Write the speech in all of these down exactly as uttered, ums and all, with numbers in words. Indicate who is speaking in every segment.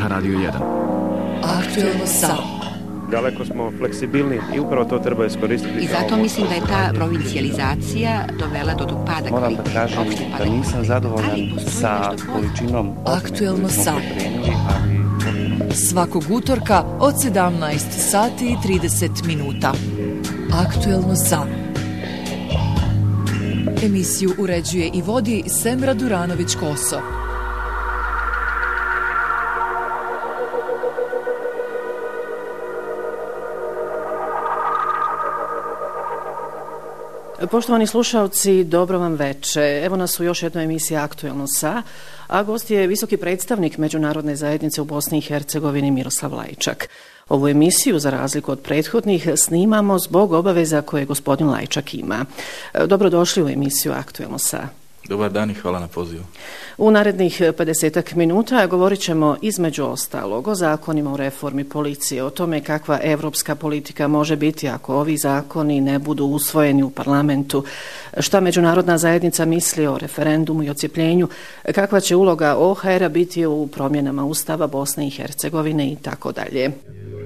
Speaker 1: ha Radio jedan.
Speaker 2: Aktuelno Sao.
Speaker 3: Daleko smo fleksibilni i upravo to treba iskoristiti.
Speaker 4: I zato mislim da je ta provincijalizacija dovela do pada kvaliteta.
Speaker 5: Moram da kažem da nisam zadovoljan sa količinom.
Speaker 2: Aktuelno Sao. Svakog utorka od sedamnaest sati i trideset minuta. Aktuelno Sao. Emisiju uređuje i vodi Semra Duranović-Koso.
Speaker 6: Poštovani slušalci, dobro vam veče. Evo nas u još jednoj emisiji Aktuelno Sa, a gost je visoki predstavnik Međunarodne zajednice u Bosni i Hercegovini Miroslav Lajčak. Ovu emisiju, za razliku od prethodnih, snimamo zbog obaveza koje gospodin Lajčak ima. Dobrodošli u emisiju Aktuelno Sa.
Speaker 7: Dobar dan i hvala na pozivu.
Speaker 6: U narednih pedesetak minuta govorit ćemo između ostalog o zakonima u reformi policije, o tome kakva evropska politika može biti ako ovi zakoni ne budu usvojeni u parlamentu, šta međunarodna zajednica misli o referendumu i ocijepljenju, kakva će uloga O H R-a biti u promjenama Ustava Bosne i Hercegovine i tako dalje.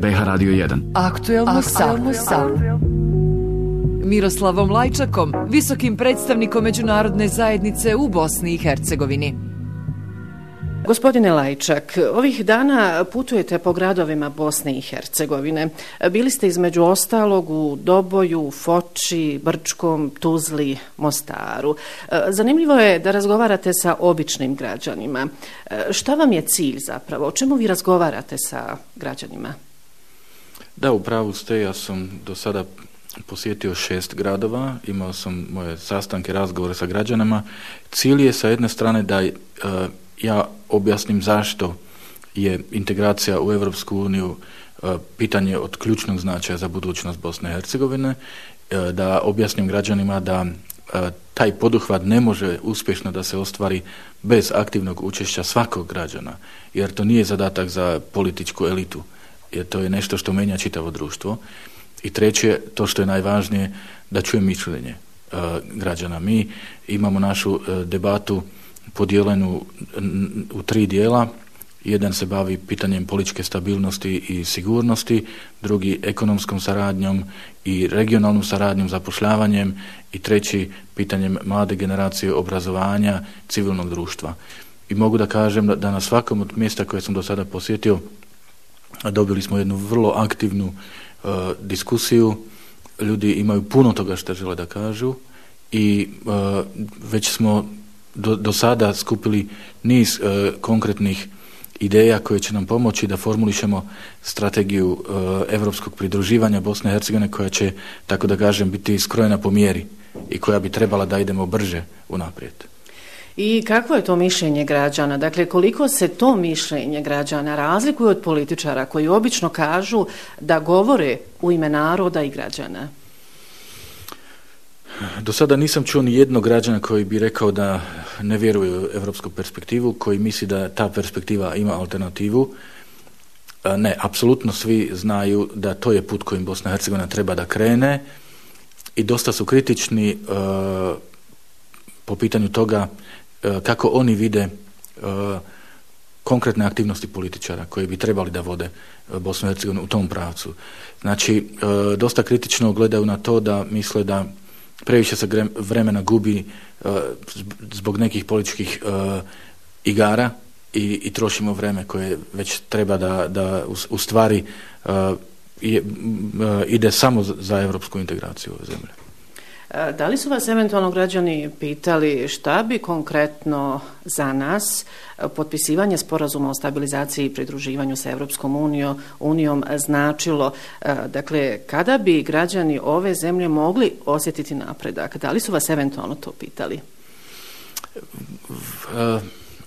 Speaker 1: B H Radio jedan.
Speaker 2: Aktuelno Sao. Miroslavom Lajčakom, visokim predstavnikom Međunarodne zajednice u Bosni i Hercegovini.
Speaker 6: Gospodine Lajčak, ovih dana putujete po gradovima Bosne i Hercegovine. Bili ste između ostalog u Doboju, Foči, Brčkom, Tuzli, Mostaru. Zanimljivo je da razgovarate sa običnim građanima. Šta vam je cilj zapravo? O čemu vi razgovarate sa građanima?
Speaker 7: Da, u pravu ste, ja sam do sada posjetio šest gradova, imao sam moje sastanke, razgovore sa građanima. Cilj je sa jedne strane da uh, ja objasnim zašto je integracija u Europsku uniju uh, pitanje od ključnog značaja za budućnost Bosne i Hercegovine, uh, da objasnim građanima da uh, taj poduhvat ne može uspješno da se ostvari bez aktivnog učešća svakog građana, jer to nije zadatak za političku elitu, jer to je nešto što menja čitavo društvo. I treće, to što je najvažnije, da čujem mišljenje uh, građana. Mi imamo našu uh, debatu podijeljenu u tri dijela. Jedan se bavi pitanjem političke stabilnosti i sigurnosti, drugi ekonomskom saradnjom i regionalnom saradnjom, zapošljavanjem i treći pitanjem mlade generacije, obrazovanja, civilnog društva. I mogu da kažem da, da na svakom od mjesta koje sam do sada posjetio dobili smo jednu vrlo aktivnu Uh, diskusiju, ljudi imaju puno toga što žele da kažu i uh, već smo do, do sada skupili niz uh, konkretnih ideja koje će nam pomoći da formulišemo strategiju uh, evropskog pridruživanja Bosne i Hercegovine koja će, tako da kažem, biti skrojena po mjeri i koja bi trebala da idemo brže unaprijed.
Speaker 6: I kakvo je to mišljenje građana? Dakle, koliko se to mišljenje građana razlikuje od političara koji obično kažu da govore u ime naroda i građana?
Speaker 7: Do sada nisam čuo ni jednog građana koji bi rekao da ne vjeruje u evropsku perspektivu, koji misli da ta perspektiva ima alternativu. Ne, apsolutno svi znaju da to je put kojim Bosna i Hercegovina treba da krene i dosta su kritični uh, po pitanju toga kako oni vide uh, konkretne aktivnosti političara koji bi trebali da vode Bosnu i Hercegovinu u tom pravcu. Znači, uh, dosta kritično gledaju na to da misle da previše se vremena gubi uh, zbog nekih političkih uh, igara i, i trošimo vreme koje već treba da, da u, u stvari uh, je, uh, ide samo za evropsku integraciju ove zemlje.
Speaker 6: Da li su vas eventualno građani pitali šta bi konkretno za nas potpisivanje sporazuma o stabilizaciji i pridruživanju sa Evropskom unijom, unijom značilo? Dakle, kada bi građani ove zemlje mogli osjetiti napredak? Da li su vas eventualno to pitali?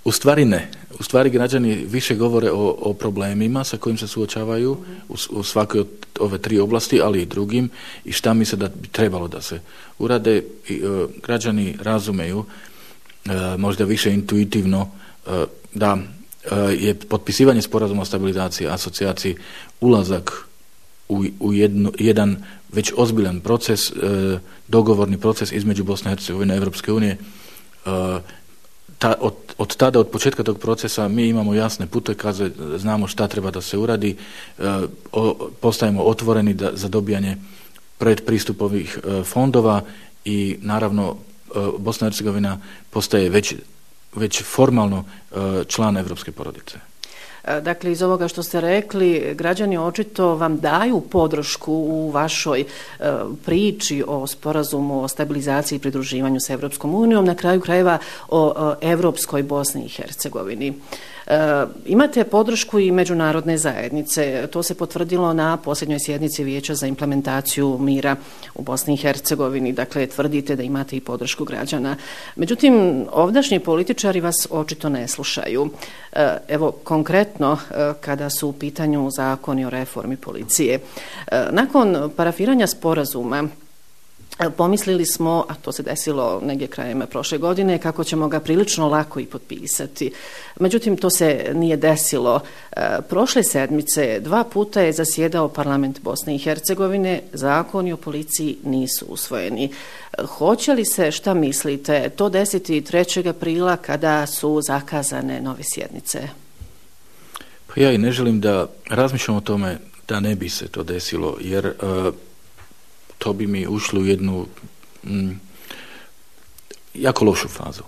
Speaker 7: U stvari ne. U stvari građani više govore o, o problemima sa kojim se suočavaju u, u svakoj od ove tri oblasti, ali i drugim, i šta misle da bi trebalo da se urade. I, uh, građani razumeju, uh, možda više intuitivno, uh, da uh, je potpisivanje sporazuma o stabilizaciji i asocijaciji ulazak u, u jednu, jedan već ozbiljan proces, uh, dogovorni proces između Bosne i Hercegovine i Evropske unije. Uh, ta, od, od tada, od početka tog procesa mi imamo jasne putokaze, znamo šta treba da se uradi, o, postajemo otvoreni da, za dobijanje predpristupovih fondova i naravno Bosna i Hercegovina postaje već, već formalno član evropske porodice.
Speaker 6: Dakle, iz ovoga što ste rekli, građani očito vam daju podršku u vašoj e, priči o sporazumu o stabilizaciji i pridruživanju sa Evropskom unijom, na kraju krajeva o, o Evropskoj Bosni i Hercegovini. E, imate podršku i međunarodne zajednice. To se potvrdilo na posljednjoj sjednici Vijeća za implementaciju mira u Bosni i Hercegovini. Dakle, tvrdite da imate i podršku građana. Međutim, ovdašnji političari vas očito ne slušaju. E, evo, konkretno, kada su u pitanju zakoni o reformi policije. Nakon parafiranja sporazuma pomislili smo, a to se desilo negdje krajem prošle godine, kako ćemo ga prilično lako i potpisati. Međutim, to se nije desilo. Prošle sedmice dva puta je zasjedao parlament Bosne i Hercegovine, zakoni o policiji nisu usvojeni. Hoće li se, šta mislite, to desiti trećeg aprila kada su zakazane nove sjednice?
Speaker 7: Pa ja i ne želim da razmišljam o tome da ne bi se to desilo, jer uh, to bi mi ušlo u jednu mm, jako lošu fazu.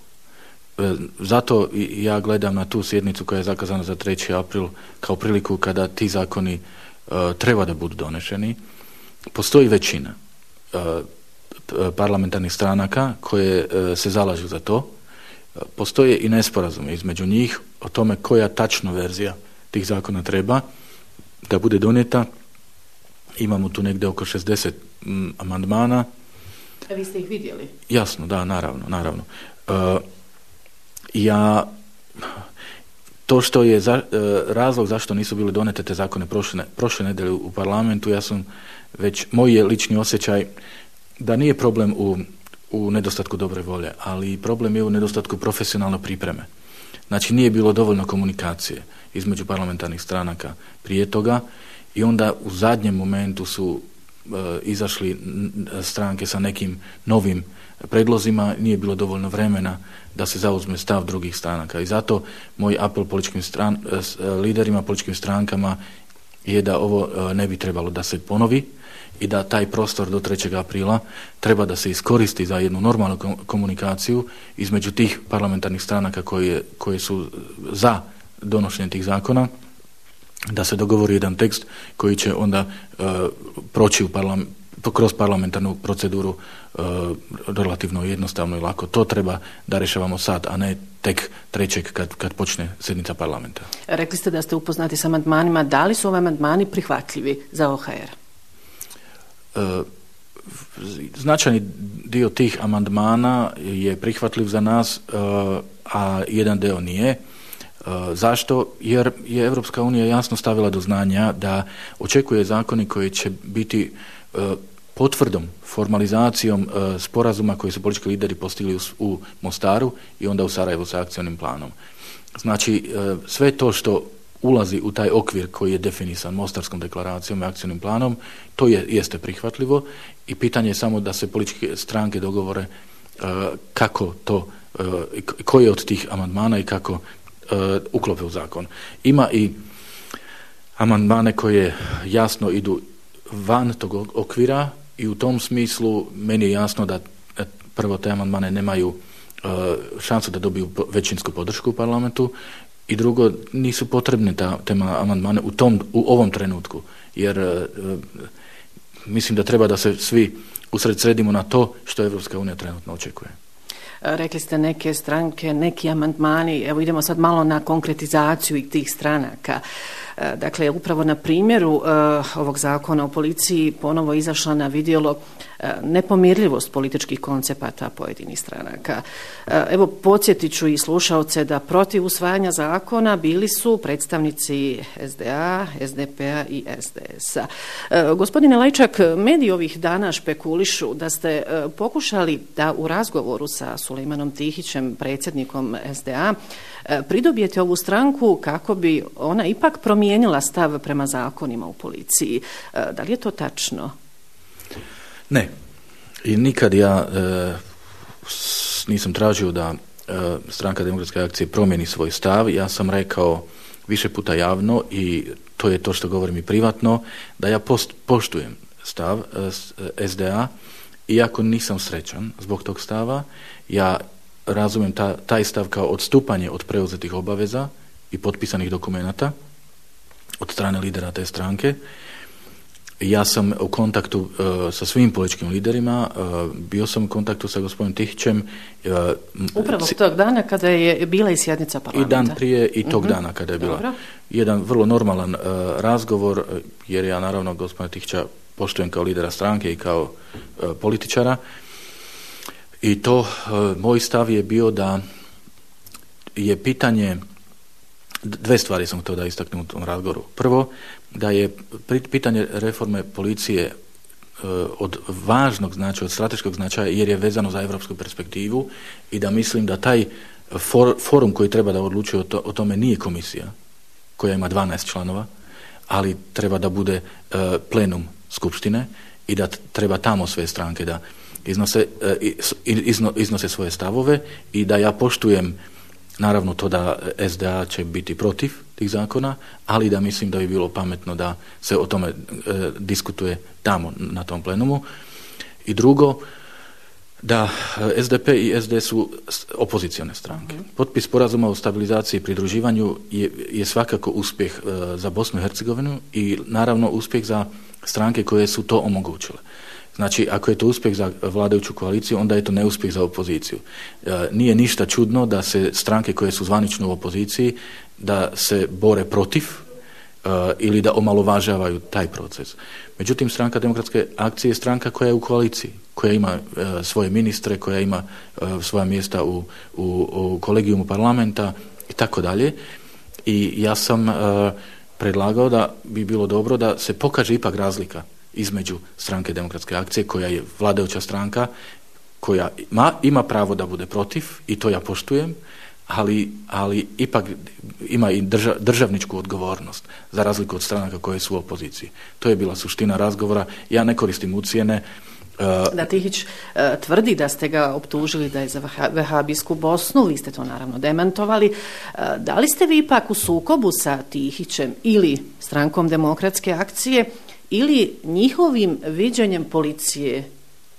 Speaker 7: E, zato ja gledam na tu sjednicu koja je zakazana za treći april kao priliku kada ti zakoni uh, treba da budu donešeni. Postoji većina uh, parlamentarnih stranaka koje uh, se zalažu za to. Uh, postoje i nesporazume između njih o tome koja tačno verzija tih zakona treba da bude donijeta. Imamo tu negdje oko šezdeset mm, amandmana.
Speaker 6: A vi ste ih vidjeli?
Speaker 7: Jasno, da, naravno, naravno. Uh, ja, to što je za, uh, razlog zašto nisu bile donete te zakone prošle, prošle nedelje u parlamentu, ja sam već, moj je lični osjećaj da nije problem u, u nedostatku dobre volje, ali problem je u nedostatku profesionalne pripreme. Znači, nije bilo dovoljno komunikacije između parlamentarnih stranaka prije toga i onda u zadnjem momentu su e, izašli stranke sa nekim novim predlozima, nije bilo dovoljno vremena da se zauzme stav drugih stranaka. I zato moj apel političkim stran, e, liderima, političkim strankama je da ovo e, ne bi trebalo da se ponovi i da taj prostor do trećeg aprila treba da se iskoristi za jednu normalnu komunikaciju između tih parlamentarnih stranaka koje, koje su za donošenje tih zakona, da se dogovori jedan tekst koji će onda uh, proći u parlam, kroz parlamentarnu proceduru uh, relativno jednostavno i lako. To treba da rešavamo sad, a ne tek trećeg kad, kad počne sjednica parlamenta.
Speaker 6: Rekli ste da ste upoznati sa amandmanima. Da li su ove amandmani prihvatljivi za O H R?
Speaker 7: Uh, značajni dio tih amandmana je prihvatljiv za nas, uh, a jedan deo nije. Uh, zašto? Jer je Evropska unija jasno stavila do znanja da očekuje zakoni koji će biti uh, potvrdom, formalizacijom uh, sporazuma koji su politički lideri postigli u, u Mostaru i onda u Sarajevu sa akcionim planom. Znači, uh, sve to što ulazi u taj okvir koji je definisan Mostarskom deklaracijom i akcionim planom, to je, jeste prihvatljivo i pitanje je samo da se političke stranke dogovore uh, kako to, uh, koje od tih amandmana i kako uh, uklope u zakon. Ima i amandmane koje jasno idu van tog okvira i u tom smislu meni je jasno da prvo te amandmane nemaju uh, šansu da dobiju većinsku podršku u parlamentu i drugo, nisu potrebne ta tema amandmane u tom, u ovom trenutku, jer e, mislim da treba da se svi usredsredimo na to što Evropska unija trenutno očekuje.
Speaker 6: Rekli ste neke stranke, neki amandmani, evo idemo sad malo na konkretizaciju i tih stranaka. Dakle, upravo na primjeru uh, ovog zakona o policiji ponovo izašla na vidjelo uh, nepomirljivost političkih koncepata pojedinih stranaka. Uh, evo, podsjetit ću i slušaoce da protiv usvajanja zakona bili su predstavnici S D A, S D P A i S D S-a. Uh, gospodine Lajčak, mediji ovih dana špekulišu da ste uh, pokušali da u razgovoru sa Sulejmanom Tihićem, predsjednikom S D A, uh, pridobijete ovu stranku kako bi ona ipak promijenila stav prema zakonima u policiji. Da li je to tačno?
Speaker 7: Ne. I nikad ja e, nisam tražio da e, Stranka demokratske akcije promijeni svoj stav. Ja sam rekao više puta javno i to je to što govorim i privatno, da ja post, poštujem stav S D A, iako nisam srećan zbog tog stava. Ja razumijem ta, taj stav kao odstupanje od preuzetih obaveza i potpisanih dokumenata od strane lidera te stranke. Ja sam u kontaktu uh, sa svim političkim liderima, uh, bio sam u kontaktu sa gospodinom Tihićem. Uh,
Speaker 6: Upravo c- tog dana kada je bila i sjednica parlamenta.
Speaker 7: I dan prije i tog uh-huh. dana kada je bila. Dobro. Jedan vrlo normalan uh, razgovor, jer ja naravno gospodina Tihića poštujem kao lidera stranke i kao uh, političara. I to uh, moj stav je bio da je pitanje, dve stvari sam htio da istaknem u tom razgovoru. Prvo, da je pitanje reforme policije uh, od važnog značaja, od strateškog značaja, jer je vezano za evropsku perspektivu i da mislim da taj for, forum koji treba da odlučuje o, to, o tome nije komisija, koja ima dvanaest članova, ali treba da bude uh, plenum skupštine i da treba tamo sve stranke da iznose, izno, iznose svoje stavove i da ja poštujem naravno to da S D A će biti protiv tih zakona, ali da mislim da bi bilo pametno da se o tome e, diskutuje tamo na tom plenumu. I drugo, da S D P i S D su opozicione stranke. Potpis sporazuma o stabilizaciji i pridruživanju je, je svakako uspjeh e, za Bosnu i Hercegovinu i naravno uspjeh za stranke koje su to omogućile. Znači, ako je to uspjeh za vladajuću koaliciju, onda je to neuspjeh za opoziciju. E, nije ništa čudno da se stranke koje su zvanično u opoziciji, da se bore protiv e, ili da omalovažavaju taj proces. Međutim, Stranka demokratske akcije je stranka koja je u koaliciji, koja ima e, svoje ministre, koja ima e, svoja mjesta u, u, u kolegijumu parlamenta i tako dalje. I ja sam e, predlagao da bi bilo dobro da se pokaže ipak razlika između Stranke demokratske akcije, koja je vladajuća stranka, koja ima, ima pravo da bude protiv, i to ja poštujem, ali, ali ipak ima i drža, državničku odgovornost, za razliku od stranaka koje su u opoziciji. To je bila suština razgovora. Ja ne koristim ucjene.
Speaker 6: Da, Tihić uh, tvrdi da ste ga optužili da je za vehabijsku Bosnu, vi ste to naravno demantovali. Uh, da li ste vi ipak u sukobu sa Tihićem ili Strankom demokratske akcije ili njihovim viđenjem policije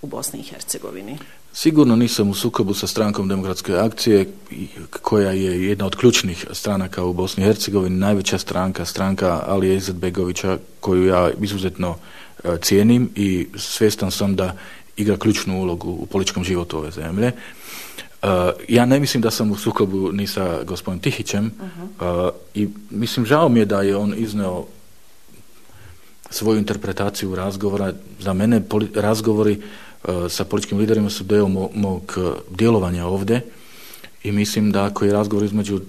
Speaker 6: u Bosni i Hercegovini?
Speaker 7: Sigurno nisam u sukobu sa Strankom demokratske akcije, koja je jedna od ključnih stranaka u Bosni i Hercegovini, najveća stranka, stranka Alije Izetbegovića, koju ja izuzetno uh, cijenim i svjestan sam da igra ključnu ulogu u političkom životu ove zemlje. Uh, ja ne mislim da sam u sukobu ni sa gospodinom Tihićem uh-huh. uh, i mislim, žao mi je da je on izneo svoju interpretaciju razgovora. Za mene poli- razgovori uh, sa političkim liderima su deo mo- mog uh, djelovanja ovdje i mislim da ako je razgovor između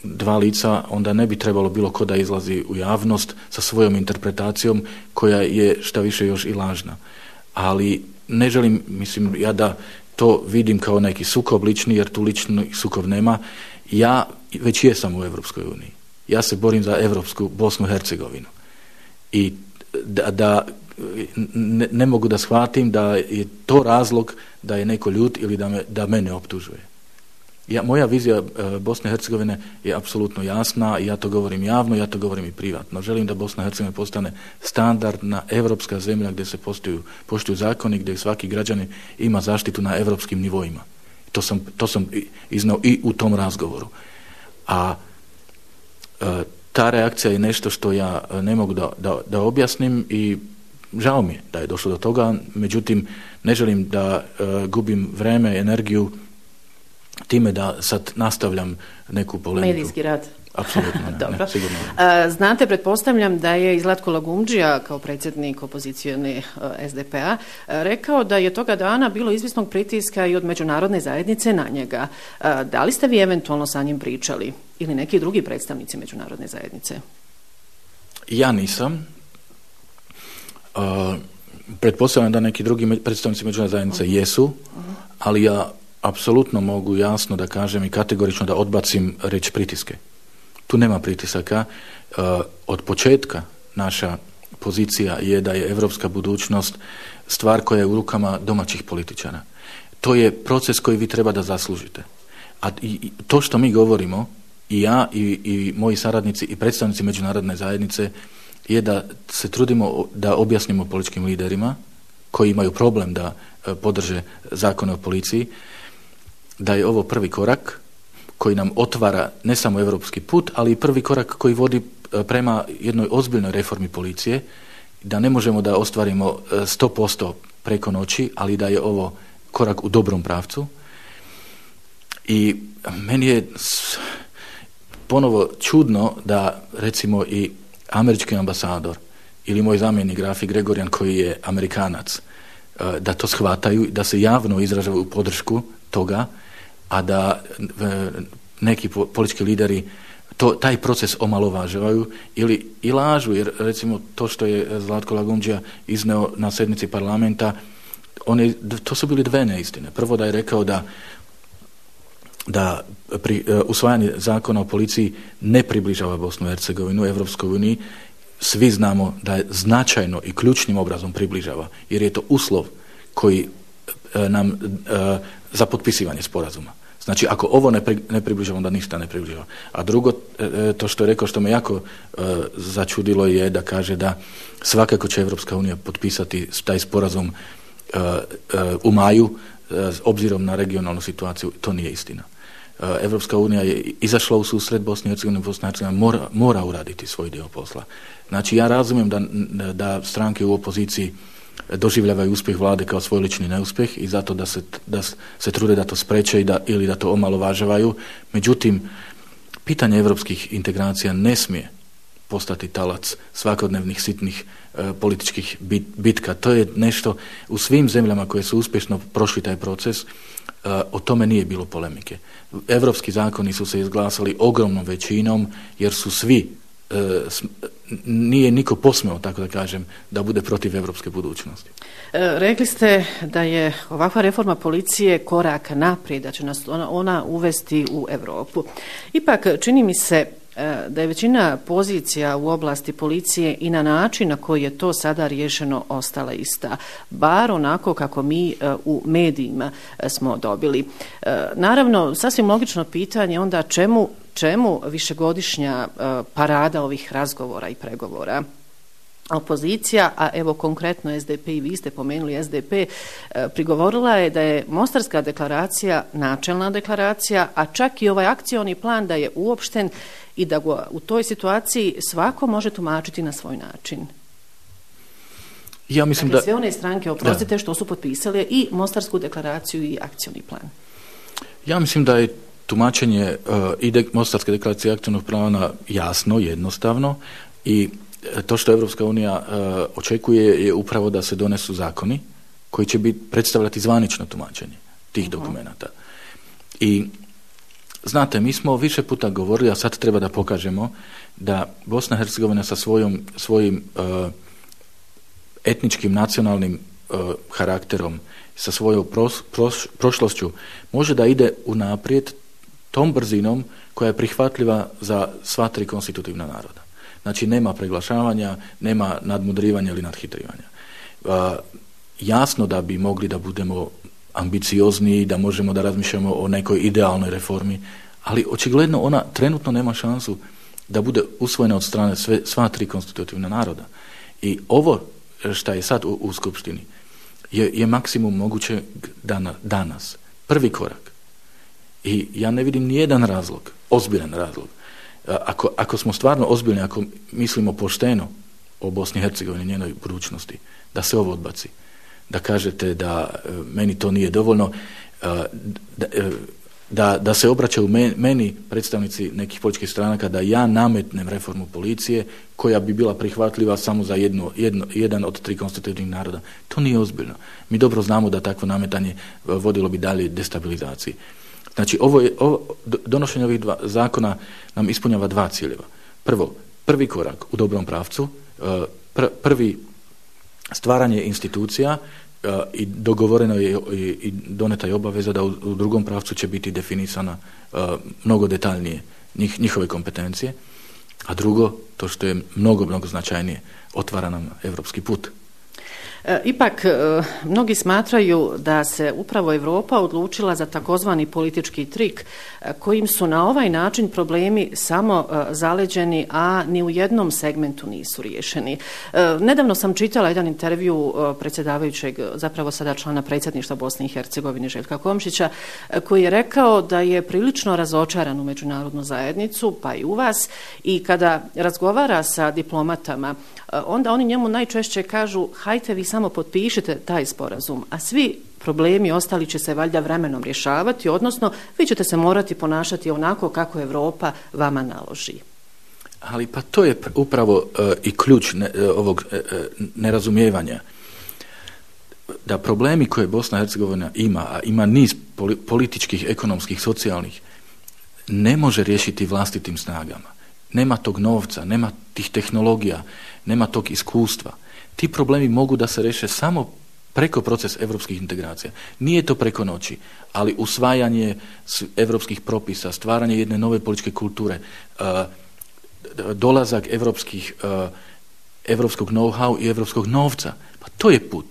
Speaker 7: dva lica, onda ne bi trebalo bilo ko da izlazi u javnost sa svojom interpretacijom, koja je šta više još i lažna. Ali ne želim, mislim, ja da to vidim kao neki sukob lični, jer tu lični sukob nema. Ja već jesam u Evropskoj uniji. Ja se borim za evropsku Bosnu i Hercegovinu. I da, da ne, ne mogu da shvatim da je to razlog da je neko ljut ili da, me, da mene optužuje. Ja, moja vizija e, Bosne i Hercegovine je apsolutno jasna i ja to govorim javno, ja to govorim i privatno. Želim da Bosna i Hercegovina postane standardna evropska zemlja gdje se poštuju, poštuju zakoni, gdje svaki građanin ima zaštitu na evropskim nivoima. To sam, to sam iznao i u tom razgovoru. A e, ta reakcija je nešto što ja ne mogu da, da, da objasnim i žao mi je da je došlo do toga, međutim ne želim da e, gubim vreme, energiju time da sad nastavljam neku polemiku.
Speaker 6: Medijski rad.
Speaker 7: Apsolutno ne,
Speaker 6: Dobro.
Speaker 7: ne, sigurno
Speaker 6: ne. Znate, pretpostavljam da je Zlatko Lagumdžija kao predsjednik opozicijone S D P A rekao da je toga dana bilo izvisnog pritiska i od međunarodne zajednice na njega. Da li ste vi eventualno sa njim pričali ili neki drugi predstavnici međunarodne zajednice?
Speaker 7: Ja nisam. Uh, pretpostavljam da neki drugi predstavnici međunarodne zajednice uh-huh. jesu, uh-huh. ali ja apsolutno mogu jasno da kažem i kategorično da odbacim reč pritiske. Tu nema pritisaka. Uh, od početka naša pozicija je da je evropska budućnost stvar koja je u rukama domaćih političara. To je proces koji vi treba da zaslužite. A i, to što mi govorimo, i ja i, i moji saradnici i predstavnici međunarodne zajednice, je da se trudimo da objasnimo političkim liderima koji imaju problem da podrže zakone o policiji, da je ovo prvi korak koji nam otvara ne samo europski put, ali i prvi korak koji vodi prema jednoj ozbiljnoj reformi policije, da ne možemo da ostvarimo sto posto preko noći, ali da je ovo korak u dobrom pravcu. I meni je ponovo čudno da recimo i američki ambasador ili moj zamjenik Rafi Gregorian koji je Amerikanac, da to shvataju, da se javno izražavaju podršku toga, a da neki politički lideri to, taj proces omalovažavaju ili i lažu, jer recimo to što je Zlatko Lagumdžija izneo na sednici parlamenta, on je, to su bili dve neistine. Prvo da je rekao da da pri uh, usvajanje zakona o policiji ne približava Bosnu i Hercegovinu Evropskoj uniji. Svi znamo da je značajno i ključnim obrazom približava, jer je to uslov koji uh, nam uh, za potpisivanje sporazuma. Znači, ako ovo ne, pri, ne približava, onda ništa ne približava. A drugo, uh, to što je rekao, što me jako uh, začudilo je da kaže da svakako će Evropska unija potpisati taj sporazum uh, uh, u maju, uh, obzirom na regionalnu situaciju. To nije istina. Evropska unija je izašla u susret Bosni i Hercegovini, Bosna i Hercegovina mora, mora uraditi svoj dio posla. Znači, ja razumijem da, da stranke u opoziciji doživljavaju uspjeh vlade kao svoj lični neuspjeh i zato da se, da se trude da to spreče i da, ili da to omalovažavaju. Međutim, pitanje evropskih integracija ne smije postati talac svakodnevnih sitnih e, političkih bit, bitka. To je nešto u svim zemljama koje su uspješno prošli taj proces, e, o tome nije bilo polemike. Evropski zakoni su se izglasali ogromnom većinom jer su svi, e, s, nije niko posmeo, tako da kažem, da bude protiv evropske budućnosti.
Speaker 6: E, rekli ste da je ovakva reforma policije korak naprijed, da će nas ona, ona uvesti u Europu. Ipak, čini mi se da je većina pozicija u oblasti policije i na način na koji je to sada riješeno ostala ista. Bar onako kako mi u medijima smo dobili. Naravno, sasvim logično pitanje onda čemu, čemu višegodišnja parada ovih razgovora i pregovora. Opozicija, a evo konkretno S D P i vi ste pomenuli S D P, prigovorila je da je Mostarska deklaracija načelna deklaracija, a čak i ovaj akcioni plan da je uopšten i da ga u toj situaciji svako može tumačiti na svoj način.
Speaker 7: Ja mislim
Speaker 6: dakle,
Speaker 7: da...
Speaker 6: sve one stranke, oprostite, što su potpisale i Mostarsku deklaraciju i akcioni plan. Ja
Speaker 7: mislim da je tumačenje uh, i de- Mostarske deklaracije i akcionog plana jasno, jednostavno i to što Evropska unija uh, očekuje je upravo da se donesu zakoni koji će biti predstavljati zvanično tumačenje tih uh-huh. dokumenata. I znate, mi smo više puta govorili, a sad treba da pokažemo da Bosna i Hercegovina sa svojom, svojim uh, etničkim, nacionalnim uh, karakterom, sa svojom pros, pros, prošlošću, može da ide unaprijed tom brzinom koja je prihvatljiva za sva tri konstitutivna naroda. Znači, nema preglašavanja, nema nadmudrivanja ili nadhitrivanja. Uh, jasno da bi mogli da budemo ambiciozniji, da možemo da razmišljamo o nekoj idealnoj reformi, ali očigledno ona trenutno nema šansu da bude usvojena od strane sve, sva tri konstitutivna naroda. I ovo što je sad u, u Skupštini je, je maksimum moguće dana, danas. Prvi korak. I ja ne vidim nijedan razlog, ozbiljan razlog. Ako, ako smo stvarno ozbiljni, ako mislimo pošteno o Bosni i Hercegovini, njenoj budućnosti, da se ovo odbaci. Da kažete da meni to nije dovoljno, da, da, da se obraćaju meni predstavnici nekih političkih stranaka da ja nametnem reformu policije koja bi bila prihvatljiva samo za jedno, jedno, jedan od tri konstitutivnih naroda. To nije ozbiljno. Mi dobro znamo da takvo nametanje vodilo bi dalje destabilizaciji. Znači, ovo je, ovo, donošenje ovih dva zakona nam ispunjava dva ciljeva. Prvo, prvi korak u dobrom pravcu, pr, prvi stvaranje institucija uh, i dogovoreno je i, i doneta je obaveza da u, u drugom pravcu će biti definisana uh, mnogo detaljnije njih, njihove kompetencije, a drugo, to što je mnogo, mnogo značajnije, otvara nam evropski put.
Speaker 6: E, ipak, e, mnogi smatraju da se upravo Europa odlučila za takozvani politički trik, e, kojim su na ovaj način problemi samo e, zaleđeni, a ni u jednom segmentu nisu riješeni. E, nedavno sam čitala jedan intervju e, predsjedavajućeg, zapravo sada člana predsjedništva Bosne i Hercegovine Željka Komšića, e, koji je rekao da je prilično razočaran u međunarodnu zajednicu, pa i u vas, i kada razgovara sa diplomatama, e, onda oni njemu najčešće kažu: hajte vi samo potpišite taj sporazum, a svi problemi ostali će se valjda vremenom rješavati, odnosno vi ćete se morati ponašati onako kako Europa vama naloži.
Speaker 7: Ali pa to je upravo uh, i ključ ne, uh, ovog uh, nerazumijevanja. Da problemi koje Bosna i Hercegovina ima, a ima niz poli- političkih, ekonomskih, socijalnih, ne može riješiti vlastitim snagama. Nema tog novca, nema tih tehnologija, nema tog iskustva. Ti problemi mogu da se reše samo preko procesa evropskih integracija. Nije to preko noći, ali usvajanje evropskih propisa, stvaranje jedne nove političke kulture, uh, dolazak evropskih, uh, evropskog know-how i evropskog novca, pa to je put.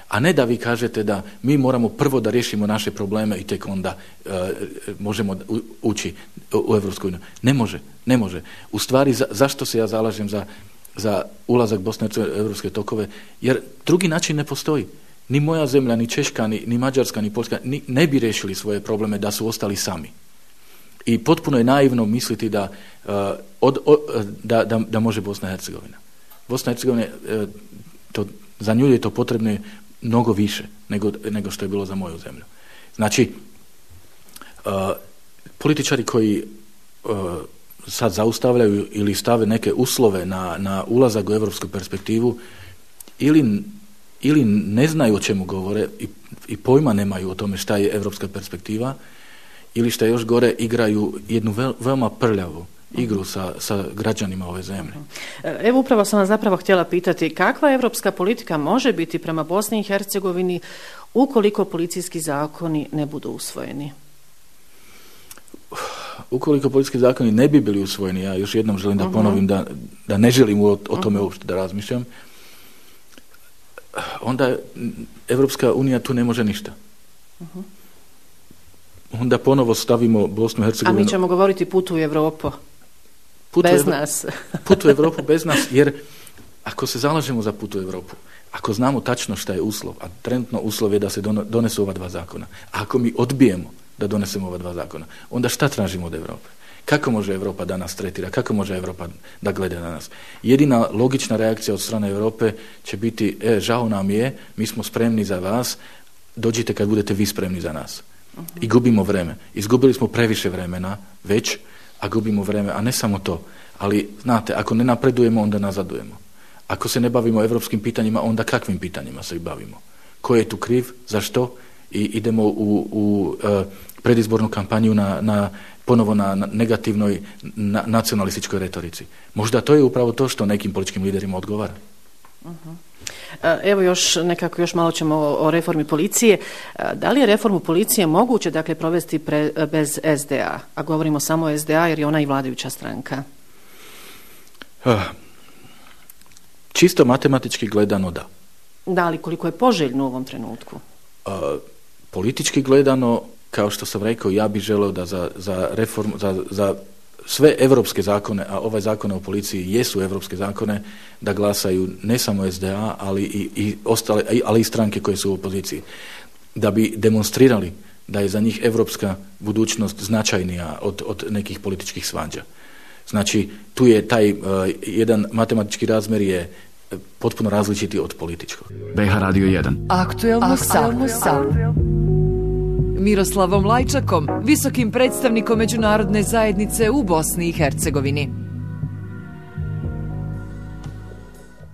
Speaker 7: A ne da vi kažete da mi moramo prvo da riješimo naše probleme i tek onda uh, možemo ući u Evropsku uniju. Ne može, ne može. U stvari, za, zašto se ja zalažem za za ulazak Bosne i Hercegovine u evropske tokove, jer drugi način ne postoji. Ni moja zemlja, ni Češka, ni, ni Mađarska, ni Poljska ni, ne bi riješili svoje probleme da su ostali sami. I potpuno je naivno misliti da, uh, od, od, da, da, da može Bosna i Hercegovina. Bosna i Hercegovina, uh, to, za nju je to potrebno mnogo više nego, nego što je bilo za moju zemlju. Znači, uh, političari koji uh, sad zaustavljaju ili stave neke uslove na, na ulazak u evropsku perspektivu, ili, ili ne znaju o čemu govore i, i pojma nemaju o tome šta je evropska perspektiva, ili šta još gore, igraju jednu vel, veoma prljavu igru sa, sa građanima ove zemlje.
Speaker 6: Evo, upravo sam vas zapravo htjela pitati, kakva evropska politika može biti prema Bosni i Hercegovini ukoliko policijski zakoni ne budu usvojeni?
Speaker 7: Ukoliko policijski zakoni ne bi bili usvojeni, ja još jednom želim da ponovim da, da ne želim o, o tome uopšte da razmišljam, onda Evropska unija tu ne može ništa. Uh-huh. Onda ponovo stavimo Bosnu i Hercegovinu.
Speaker 6: A mi ćemo govoriti put u Evropu.
Speaker 7: Put
Speaker 6: bez
Speaker 7: u Evro...
Speaker 6: nas.
Speaker 7: Put u Evropu bez nas, jer ako se zalažemo za put u Evropu, ako znamo tačno šta je uslov, a trenutno uslov je da se donesu ova dva zakona, a ako mi odbijemo da donesemo ova dva zakona, onda šta tražimo od Evrope? Kako može Evropa da nas tretira? Kako može Evropa da gleda na nas? Jedina logična reakcija od strane Evrope će biti: e, žao nam je, mi smo spremni za vas, dođite kad budete vi spremni za nas. Uh-huh. I gubimo vreme. Izgubili smo previše vremena već, a gubimo vreme, a ne samo to. Ali, znate, ako ne napredujemo, onda nazadujemo. Ako se ne bavimo evropskim pitanjima, onda kakvim pitanjima se bavimo? Ko je tu kriv? Zašto? I idemo u, u uh, predizbornu kampanju na, na, ponovo na, na negativnoj na, nacionalističkoj retorici. Možda to je upravo to što nekim političkim liderima odgovara.
Speaker 6: Uh-huh. Evo još nekako, još malo ćemo o, o reformi policije. Da li je reformu policije moguće, dakle, provesti pre, bez es de a? A govorimo samo o es de a jer je ona i vladajuća stranka.
Speaker 7: Uh, čisto matematički gledano da.
Speaker 6: Da, ali koliko je poželjno u ovom trenutku?
Speaker 7: Uh, politički gledano, kao što sam rekao, ja bih želeo da za, za reformu, za, za sve evropske zakone, a ovaj zakone o policiji jesu evropske zakone, da glasaju ne samo es de a, ali i, i ostale, ali i stranke koje su u opoziciji, da bi demonstrirali da je za njih evropska budućnost značajnija od, od nekih političkih svađa. Znači, tu je taj uh, jedan matematički razmer je potpuno različiti od političkog.
Speaker 1: be ha Radio jedan.
Speaker 2: Aktuelno sat. Miroslavom Lajčakom, visokim predstavnikom međunarodne zajednice u Bosni i Hercegovini.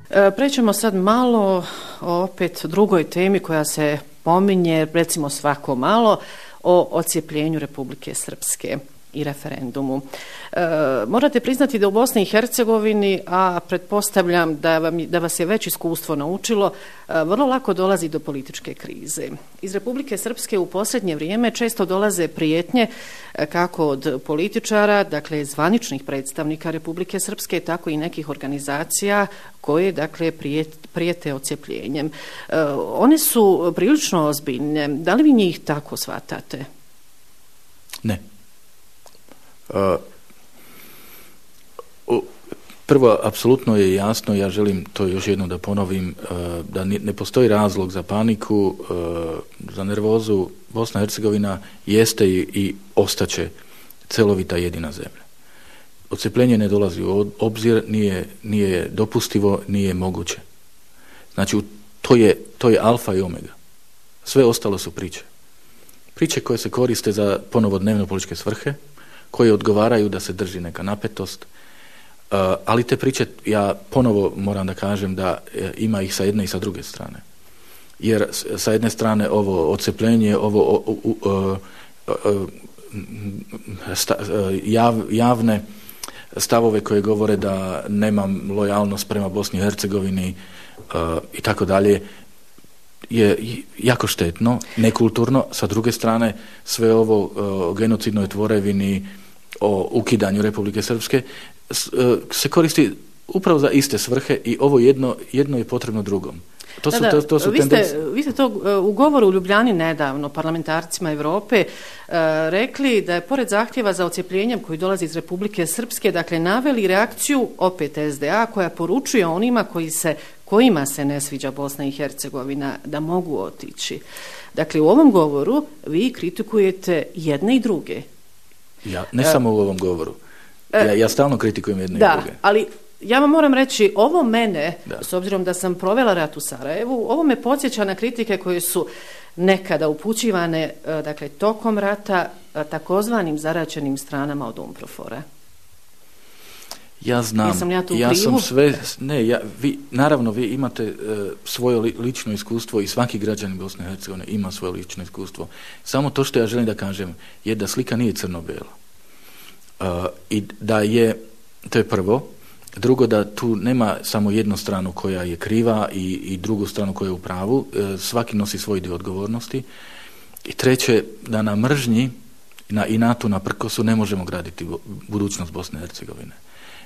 Speaker 6: E, prećemo sad malo o opet drugoj temi koja se pominje, recimo svako malo, o odcijepljenju Republike Srpske. i referendumu. E, morate priznati da u Bosni i Hercegovini, a pretpostavljam da, vam, da vas je već iskustvo naučilo, e, vrlo lako dolazi do političke krize. Iz Republike Srpske u posljednje vrijeme često dolaze prijetnje e, kako od političara, dakle zvaničnih predstavnika Republike Srpske, tako i nekih organizacija koje dakle prijete odcepljenjem. E, one su prilično ozbiljne. Da li vi njih tako shvatate?
Speaker 7: Ne. Uh, prvo, apsolutno je jasno, ja želim to još jednom da ponovim, uh, da ne postoji razlog za paniku, uh, za nervozu. Bosna i Hercegovina jeste i, i ostaće celovita jedina zemlja. Odcepljenje ne dolazi u obzir, nije, nije dopustivo, nije moguće. Znači, to je, to je alfa i omega. Sve ostalo su priče. Priče koje se koriste za ponovo dnevno političke svrhe, koje odgovaraju da se drži neka napetost, uh, ali te priče, ja ponovo moram da kažem da uh, ima ih sa jedne i sa druge strane. Jer s, sa jedne strane ovo odcepljenje, ovo uh, uh, uh, uh, sta, uh, jav, javne stavove koje govore da nemam lojalnost prema Bosni i Hercegovini uh, i tako dalje, je jako štetno, nekulturno. Sa druge strane, sve ovo uh, o genocidnoj tvorevini, o ukidanju Republike Srpske s, uh, se koristi upravo za iste svrhe i ovo jedno, jedno je potrebno drugom. To su,
Speaker 6: da, da,
Speaker 7: to, to su
Speaker 6: vi,
Speaker 7: tendenci...
Speaker 6: ste, vi ste to u govoru u Ljubljani nedavno parlamentarcima Evrope uh, rekli da je pored zahtjeva za odcepljenjem koji dolazi iz Republike Srpske, dakle naveli reakciju opet es de a koja poručuje onima koji se, kojima se ne sviđa Bosna i Hercegovina da mogu otići. Dakle, u ovom govoru vi kritikujete jedne i druge.
Speaker 7: Ja, ne uh, samo u ovom govoru. Ja, ja stalno kritikujem jedne
Speaker 6: da,
Speaker 7: i druge.
Speaker 6: Ali ja vam moram reći, ovo mene,
Speaker 7: da.
Speaker 6: S obzirom da sam provela rat u Sarajevu, ovo me podsjeća na kritike koje su nekada upućivane, dakle, tokom rata takozvanim zaraćenim stranama od Umprofora.
Speaker 7: Ja znam,
Speaker 6: Jesam ja, tu
Speaker 7: ja
Speaker 6: krivu?
Speaker 7: sam sve, ne, ja, vi, naravno vi imate uh, svoje li, lično iskustvo i svaki građanin Bosne i Hercegovine ima svoje lično iskustvo. Samo to što ja želim da kažem je da slika nije crno-bela. Uh, I da je, to je prvo, drugo da tu nema samo jednu stranu koja je kriva i, i drugu stranu koja je u pravu, uh, svaki nosi svoj dio odgovornosti. I treće, da na mržnji na inatu, na prkosu ne možemo graditi budućnost Bosne i Hercegovine.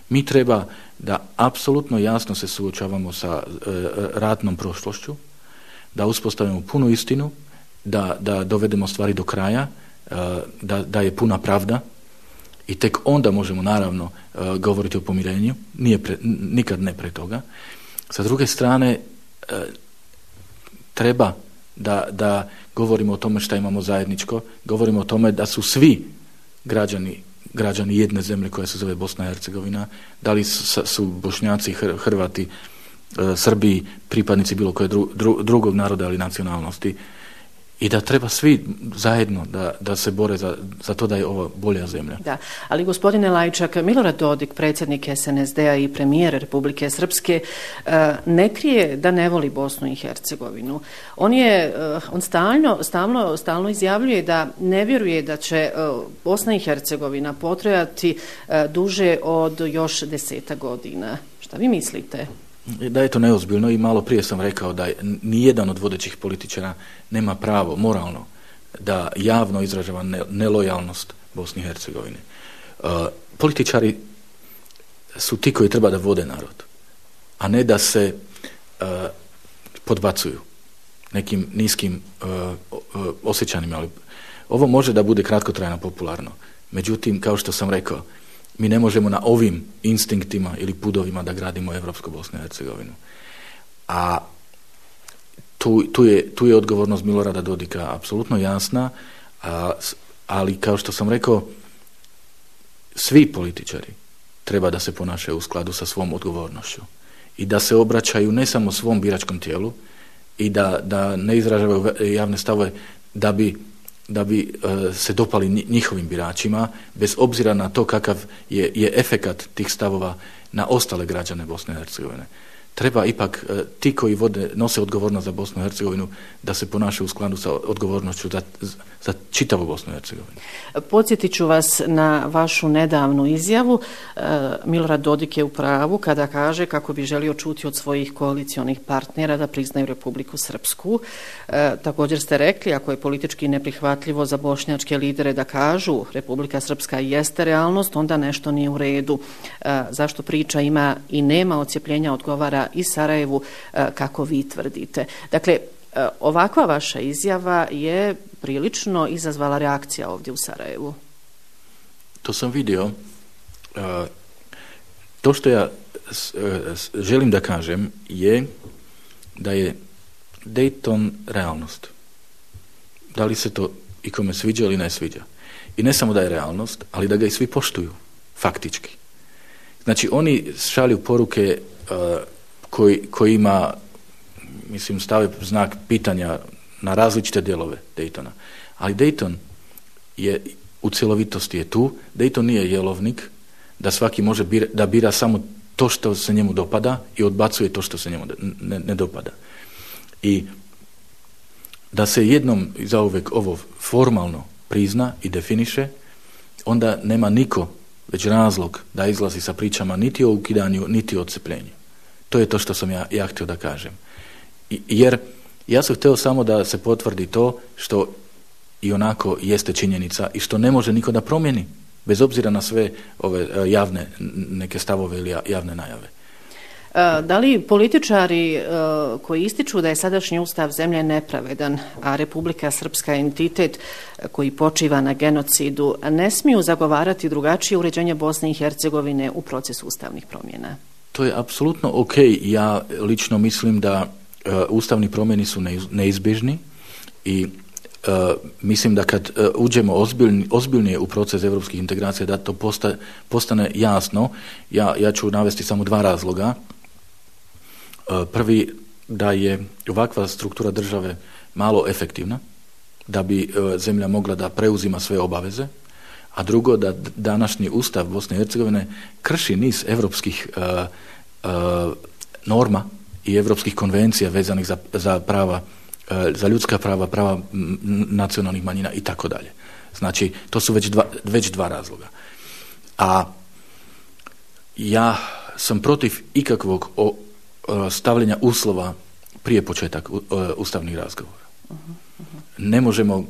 Speaker 7: Mi treba da apsolutno jasno se suočavamo sa e, ratnom prošlošću, da uspostavimo punu istinu, da, da dovedemo stvari do kraja, e, da, da je puna pravda i tek onda možemo naravno e, govoriti o pomirenju, nije pre, nikad ne pre toga. Sa druge strane, e, treba da, da govorimo o tome šta imamo zajedničko, govorimo o tome da su svi građani građani jedne zemlje koja se zove Bosna i Hercegovina, da li su, su Bošnjaci, Hrvati, Srbi, pripadnici bilo koje dru, dru, drugog naroda ili nacionalnosti, i da treba svi zajedno da, da se bore za, za to da je ovo bolja zemlja.
Speaker 6: Da, ali gospodine Lajčak, Milorad Dodik, predsjednik es en es de a i premijer Republike Srpske, ne krije da ne voli Bosnu i Hercegovinu. On je, on stalno, stalno, stalno izjavljuje da ne vjeruje da će Bosna i Hercegovina potrajati duže od još deseta godina. Šta vi mislite?
Speaker 7: Da je to neozbiljno i malo prije sam rekao da nijedan od vodećih političara nema pravo moralno da javno izražava nelojalnost Bosni i Hercegovine. Uh, političari su ti koji treba da vode narod, a ne da se uh, podbacuju nekim niskim uh, uh, osjećanjima. Ali ovo može da bude kratkotrajno popularno. Međutim, kao što sam rekao, mi ne možemo na ovim instinktima ili pudovima da gradimo Evropsku Bosnu i Hercegovinu. A tu, tu, je, tu je odgovornost Milorada Dodika apsolutno jasna, a, ali kao što sam rekao, svi političari treba da se ponašaju u skladu sa svom odgovornošću i da se obraćaju ne samo svom biračkom tijelu i da, da ne izražavaju javne stavove da bi da bi uh, se dopali njihovim biračima, bez obzira na to kakav je, je efekat tih stavova na ostale građane Bosne i Hercegovine. treba ipak ti koji vode, nose odgovornost za Bosnu i Hercegovinu da se ponašaju u skladu sa odgovornošću za, za čitavu Bosnu i Hercegovinu.
Speaker 6: Podsjetit ću vas na vašu nedavnu izjavu. Milorad Dodik je u pravu kada kaže kako bi želio čuti od svojih koalicionih partnera da priznaju Republiku Srpsku. Također ste rekli, ako je politički neprihvatljivo za bošnjačke lidere da kažu Republika Srpska jeste realnost, onda nešto nije u redu. Zašto priča ima i nema odcjepljenja odgovara i Sarajevu, kako vi tvrdite. Dakle, ovakva vaša izjava je prilično izazvala reakcija ovdje u Sarajevu.
Speaker 7: To sam vidio. To što ja želim da kažem je da je Dayton realnost. Da li se to ikome sviđa ili ne sviđa. I ne samo da je realnost, ali da ga i svi poštuju, faktički. Znači, oni šalju poruke koji, koji ima, mislim, stave znak pitanja na različite dijelove Daytona. Ali Dayton je u cjelovitosti je tu. Dayton nije jelovnik da svaki može bira, da bira samo to što se njemu dopada i odbacuje to što se njemu ne, ne dopada. I da se jednom i zauvek ovo formalno prizna i definiše, onda nema niko već razlog da izlazi sa pričama niti o ukidanju, niti o odcepljenju. To je to što sam ja, ja htio da kažem. I, jer ja sam htio samo da se potvrdi to što i onako jeste činjenica i što ne može niko da promijeni, bez obzira na sve ove javne neke stavove ili javne najave.
Speaker 6: Da li političari koji ističu da je sadašnji ustav zemlje nepravedan, a Republika Srpska je entitet koji počiva na genocidu, ne smiju zagovarati drugačije uređenje Bosne i Hercegovine u procesu ustavnih promjena? To
Speaker 7: je apsolutno ok. Ja lično mislim da uh, ustavni promjeni su neizbježni i uh, mislim da kad uh, uđemo ozbiljni, ozbiljnije u proces evropskih integracija, da to posta, postane jasno. Ja, ja ću navesti samo dva razloga. Prvi, da je ovakva struktura države malo efektivna, da bi zemlja mogla da preuzima sve obaveze, a drugo, da današnji ustav Bosne i Hercegovine krši niz evropskih uh, uh, norma i evropskih konvencija vezanih za, za prava, uh, za ljudska prava, prava nacionalnih manjina i tako dalje. Znači, to su već dva, već dva razloga. A ja sam protiv ikakvog o stavljanja uslova prije početak ustavnih razgovora. Uh-huh, uh-huh. Ne možemo uh,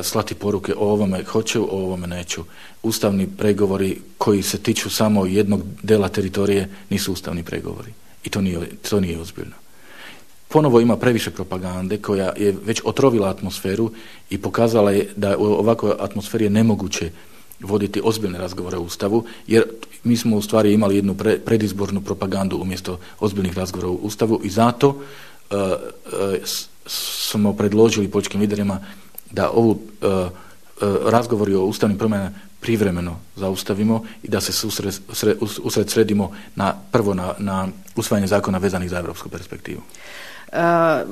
Speaker 7: slati poruke o ovome hoću, o ovome neću. Ustavni pregovori koji se tiču samo jednog dela teritorije nisu ustavni pregovori. I to nije, to nije ozbiljno. Ponovo ima previše propagande koja je već otrovila atmosferu i pokazala je da u ovakvoj atmosferi je nemoguće voditi ozbiljne razgovore o Ustavu, jer mi smo u stvari imali jednu pre, predizbornu propagandu umjesto ozbiljnih razgovora o Ustavu i zato uh, uh, smo predložili političkim liderima da ovu uh, uh, razgovori o ustavnim promjenama privremeno zaustavimo i da se usred, usred, usred sredimo na, prvo na, na usvajanje zakona vezanih za evropsku perspektivu.
Speaker 6: Uh,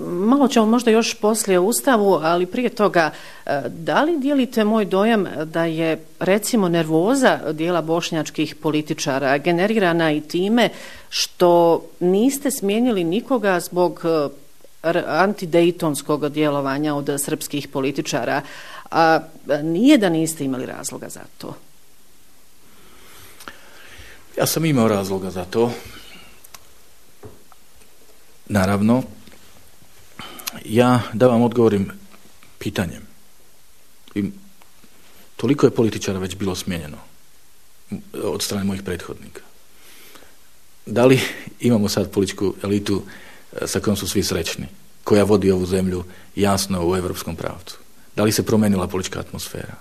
Speaker 6: malo ćemo možda još poslije o Ustavu, ali prije toga, uh, da li dijelite moj dojam da je recimo nervoza dijela bošnjačkih političara generirana i time što niste smijenili nikoga zbog uh, antidejtonskog djelovanja od srpskih političara, a nije da niste imali razloga za to?
Speaker 7: Ja sam imao razloga za to. Naravno, ja da vam odgovorim pitanjem. I toliko je političara već bilo smijenjeno od strane mojih prethodnika. Da li imamo sad političku elitu sa kojom su svi srećni, koja vodi ovu zemlju jasno u evropskom pravcu? Da li se promenila politička atmosfera?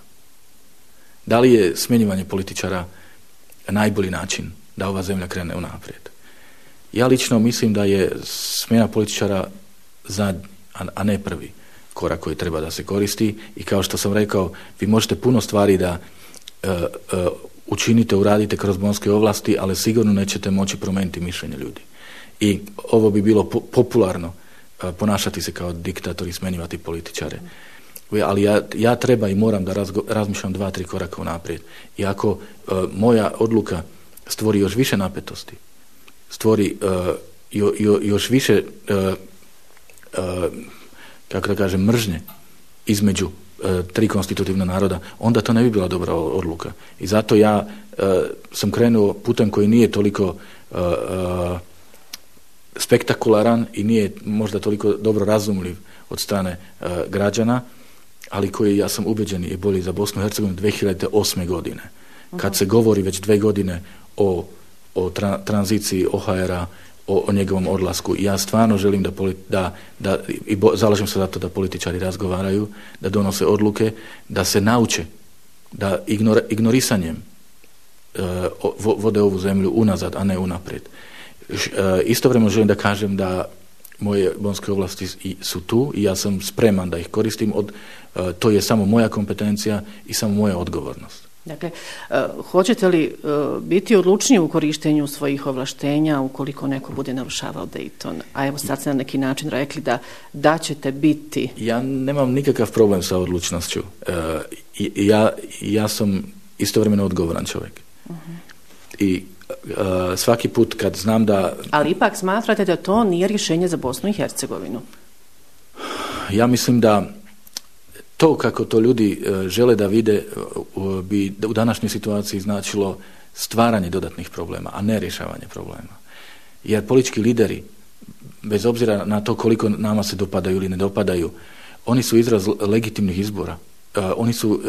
Speaker 7: Da li je smjenjivanje političara najbolji način da ova zemlja krene unaprijed? Ja lično mislim da je smjena političara zadnji, a ne prvi korak koji treba da se koristi i kao što sam rekao, vi možete puno stvari da uh, uh, učinite, uradite kroz bonske ovlasti, ali sigurno nećete moći promijeniti mišljenje ljudi. I ovo bi bilo po- popularno uh, ponašati se kao diktator i smenjivati političare. Ali ja, ja treba i moram da razgo- razmišljam dva, tri koraka unaprijed. I ako uh, moja odluka stvori još više napetosti, stvori uh, jo, jo, još više uh, uh, kako da kažem mržnje između uh, tri konstitutivna naroda, onda to ne bi bila dobra odluka. I zato ja uh, sam krenuo putem koji nije toliko uh, uh, spektakularan i nije možda toliko dobro razumljiv od strane uh, građana, ali koji, ja sam ubeđen, je bolji za Bosnu i Hercegovinu dvije hiljade osme godine. Uh-huh. Kad se govori već dve godine o, o tra, tranziciji O H R-a, o, o njegovom odlasku. Ja stvarno želim da, da, da i bo, zalažem se za to da političari razgovaraju, da donose odluke, da se nauče, da ignor, ignorisanjem uh, vode ovu zemlju unazad, a ne unaprijed. Uh, istovremeno želim da kažem da moje bonske ovlasti su tu i ja sam spreman da ih koristim. Od, uh, to je samo moja kompetencija i samo moja odgovornost.
Speaker 6: Dakle, uh, hoćete li uh, biti odlučniji u korištenju svojih ovlaštenja ukoliko neko bude narušavao Dayton? A evo sad ste na neki način rekli da, da ćete biti...
Speaker 7: Ja nemam nikakav problem sa odlučnošću. Uh, ja, ja sam istovremeno odgovoran čovjek. Uh-huh. I uh, svaki put kad znam da...
Speaker 6: Ali ipak smatrate da to nije rješenje za Bosnu i Hercegovinu?
Speaker 7: Ja mislim da to kako to ljudi uh, žele da vide uh, bi u današnjoj situaciji značilo stvaranje dodatnih problema, a ne rješavanje problema. Jer politički lideri, bez obzira na to koliko nama se dopadaju ili ne dopadaju, oni su izraz legitimnih izbora. Uh, oni su, uh,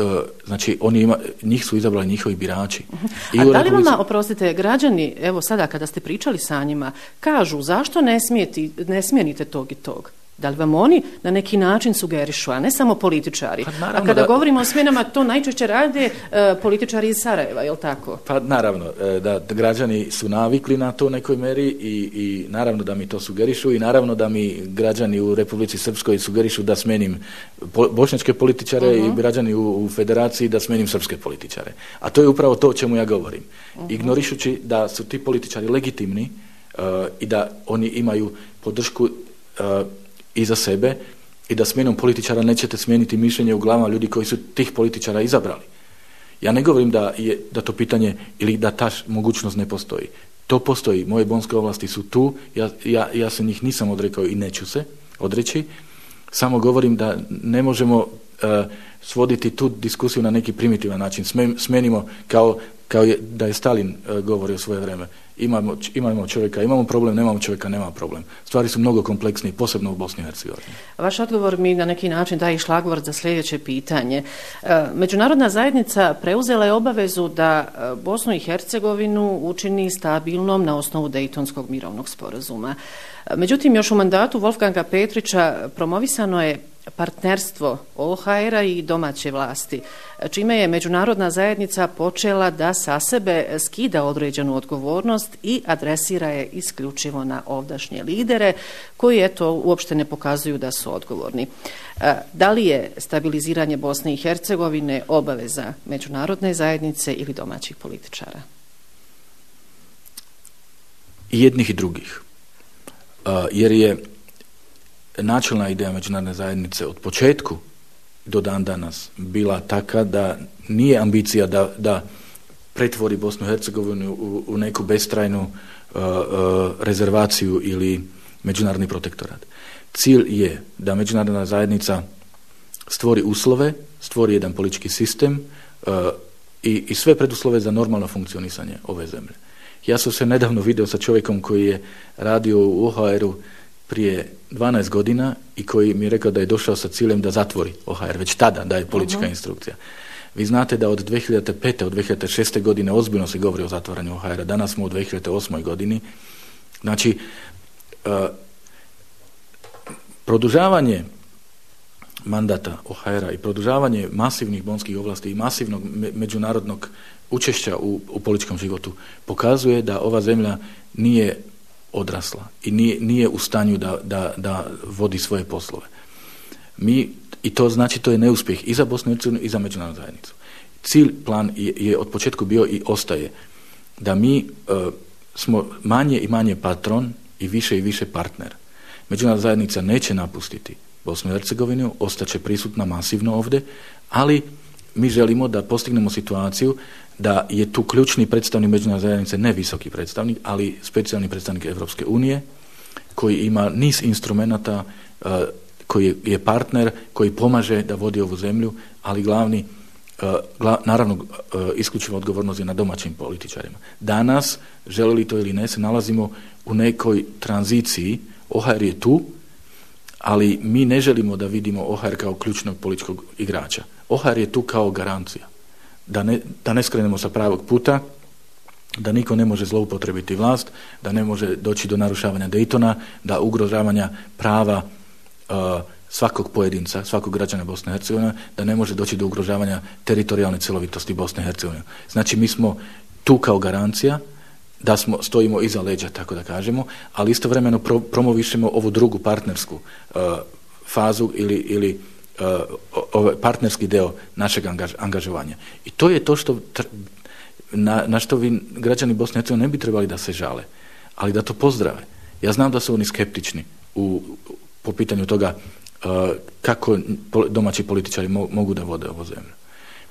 Speaker 7: znači, oni ima, njih su izabrali njihovi birači.
Speaker 6: Uh-huh. I a da li Republici... vama, oprostite, građani, evo sada kada ste pričali sa njima, kažu zašto ne, smijeti, ne smijenite tog i tog? Da li vam oni na neki način sugerišu, a ne samo političari? Pa a kada da... govorimo o smjenama, to najčešće rade uh, političari iz Sarajeva, je li tako?
Speaker 7: Pa naravno, da, da građani su navikli na to u nekoj meri i, i naravno da mi to sugerišu i naravno da mi građani u Republici Srpskoj sugerišu da smenim po, bošnjačke političare uh-huh. i građani u, u federaciji da smenim srpske političare. A to je upravo to o čemu ja govorim. Uh-huh. Ignorišući da su ti političari legitimni uh, i da oni imaju podršku uh, i za sebe i da smjenom političara nećete smijeniti mišljenje u glavama ljudi koji su tih političara izabrali. Ja ne govorim da je da to pitanje ili da ta mogućnost ne postoji. To postoji. Moje bonske ovlasti su tu. Ja, ja, ja se njih nisam odrekao i neću se odreći. Samo govorim da ne možemo uh, svoditi tu diskusiju na neki primitivan način. Smenimo kao, kao je, da je Stalin uh, govorio svoje vreme. Imamo, imamo čovjeka, imamo problem, nemamo čovjeka, nema problem. Stvari su mnogo kompleksnije, posebno u Bosni i Hercegovini.
Speaker 6: Vaš odgovor mi na neki način daje šlagvort za sljedeće pitanje. Međunarodna zajednica preuzela je obavezu da Bosnu i Hercegovinu učini stabilnom na osnovu Dejtonskog mirovnog sporazuma. Međutim, još u mandatu Wolfganga Petrića promovisano je partnerstvo O H R-a i domaće vlasti, čime je međunarodna zajednica počela da sa sebe skida određenu odgovornost i adresira je isključivo na ovdašnje lidere, koji eto uopšte ne pokazuju da su odgovorni. Da li je stabiliziranje Bosne i Hercegovine obaveza međunarodne zajednice ili domaćih političara?
Speaker 7: I jednih i drugih. Uh, jer je načelna ideja međunarodne zajednice od početku do dan danas bila taka da nije ambicija da, da pretvori Bosnu i Hercegovinu u, u neku bestrajnu uh, uh, rezervaciju ili međunarodni protektorat. Cilj je da međunarodna zajednica stvori uslove, stvori jedan politički sistem uh, i, i sve preduslove za normalno funkcionisanje ove zemlje. Ja sam se nedavno video sa čovjekom koji je radio u O H R-u prije dvanaest godina i koji mi je rekao da je došao sa ciljem da zatvori O H R, već tada da je politička uh-huh. instrukcija. Vi znate da od dvije hiljade pete. od dvije hiljade šeste. godine ozbiljno se govori o zatvaranju O H R-a. Danas smo u dvije hiljade osmoj. godini. Znači, uh, produžavanje mandata O H R-a i produžavanje masivnih bonskih ovlasti i masivnog me- međunarodnog učešća u, u političkom životu pokazuje da ova zemlja nije odrasla i nije, nije u stanju da, da, da vodi svoje poslove. Mi, i to znači to je neuspjeh i za Bosnu i Hercegovinu i za međunarodnu zajednicu. Cilj, plan je, je od početka bio i ostaje da mi uh, smo manje i manje patron i više i više partner. Međunarodna zajednica neće napustiti Bosnu i Hercegovinu, ostaće prisutna masivno ovdje, ali mi želimo da postignemo situaciju da je tu ključni predstavnik međunarodne zajednice, ne visoki predstavnik, ali specijalni predstavnik Evropske unije koji ima niz instrumenata, koji je partner, koji pomaže da vodi ovu zemlju, ali glavni, naravno, isključivo odgovornost je na domaćim političarima. Danas, želi li to ili ne, se nalazimo u nekoj tranziciji. O H R je tu, ali mi ne želimo da vidimo O H R kao ključnog političkog igrača. O H R je tu kao garancija. Da ne, da ne skrenemo sa pravog puta, da niko ne može zloupotrebiti vlast, da ne može doći do narušavanja Daytona, da ugrožavanja prava uh, svakog pojedinca, svakog građana Bosne i Hercegovine, da ne može doći do ugrožavanja teritorijalne cjelovitosti Bosne i Hercegovine. Znači mi smo tu kao garancija, da smo stojimo iza leđa, tako da kažemo, ali istovremeno pro, promovišemo ovu drugu partnersku uh, fazu ili, ili uh, ovaj partnerski deo našeg angaž, angažovanja. I to je to što na, na što vi građani Bosne i Hercegovine ne bi trebali da se žale, ali da to pozdrave. Ja znam da su oni skeptični u, po pitanju toga uh, kako domaći političari mo, mogu da vode ovu zemlju.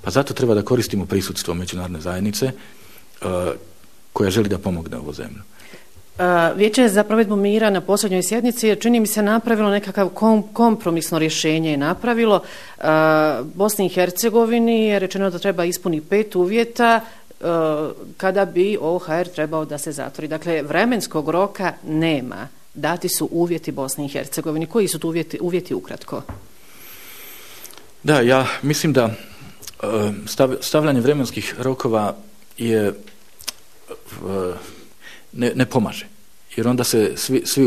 Speaker 7: Pa zato treba da koristimo prisutstvo međunarodne zajednice uh, koja želi da pomogne ovu zemlju.
Speaker 6: Vijeće za provedbu mira na posljednjoj sjednici je, čini mi se, napravilo nekakav kom, kompromisno rješenje je napravilo. Bosni i Hercegovini je rečeno da treba ispuniti pet uvjeta kada bi O H R trebao da se zatvori. Dakle, vremenskog roka nema. Dati su uvjeti Bosni i Hercegovini. Koji su tu uvjeti, uvjeti ukratko?
Speaker 7: Da, ja mislim da stav, stavljanje vremenskih rokova je Ne, ne pomaže. Jer onda se svi, svi